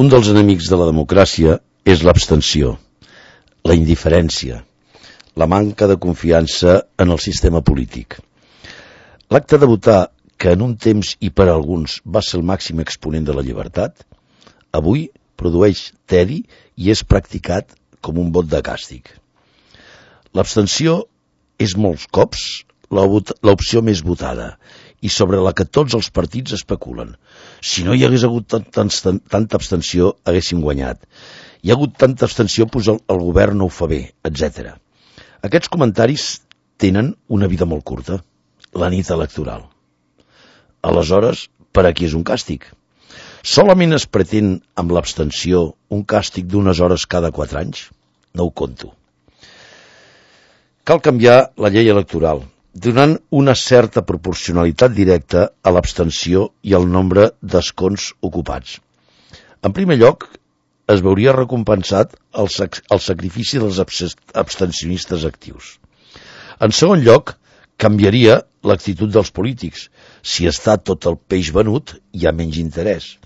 Un dels enemics de la democràcia és l'abstenció, la indiferència, la manca de confiança en el sistema polític. L'acte de votar, que en un temps i per a alguns va ser el màxim exponent de la llibertat, avui produeix tedi i és practicat com un vot de càstig. L'abstenció és molts cops l'opció més votada i sobre la que tots els partits especulen. Si no hi hagués hagut tanta abstenció, haguéssim guanyat. Hi ha hagut tanta abstenció, doncs el govern no ho fa bé, etc. Aquests comentaris tenen una vida molt curta, la nit electoral. Aleshores, per a qui és un càstig? Solament es pretén amb l'abstenció un càstig d'unes hores cada 4 anys? No ho conto. Cal canviar la llei electoral, donant una certa proporcionalitat directa a l'abstenció i al nombre d'escons ocupats. En primer lloc, es veuria recompensat el sacrifici dels abstencionistes actius. En segon lloc, canviaria l'actitud dels polítics. Si està tot el peix venut, hi ha menys interès.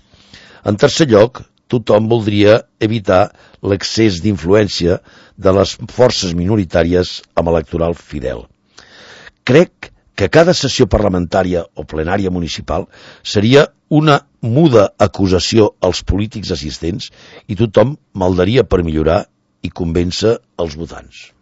En tercer lloc, tothom voldria evitar l'excés d'influència de les forces minoritàries amb electoral fidel. Crec que cada sessió parlamentària o plenària municipal seria una muda acusació als polítics assistents i tothom maldaria per millorar i convèncer els votants.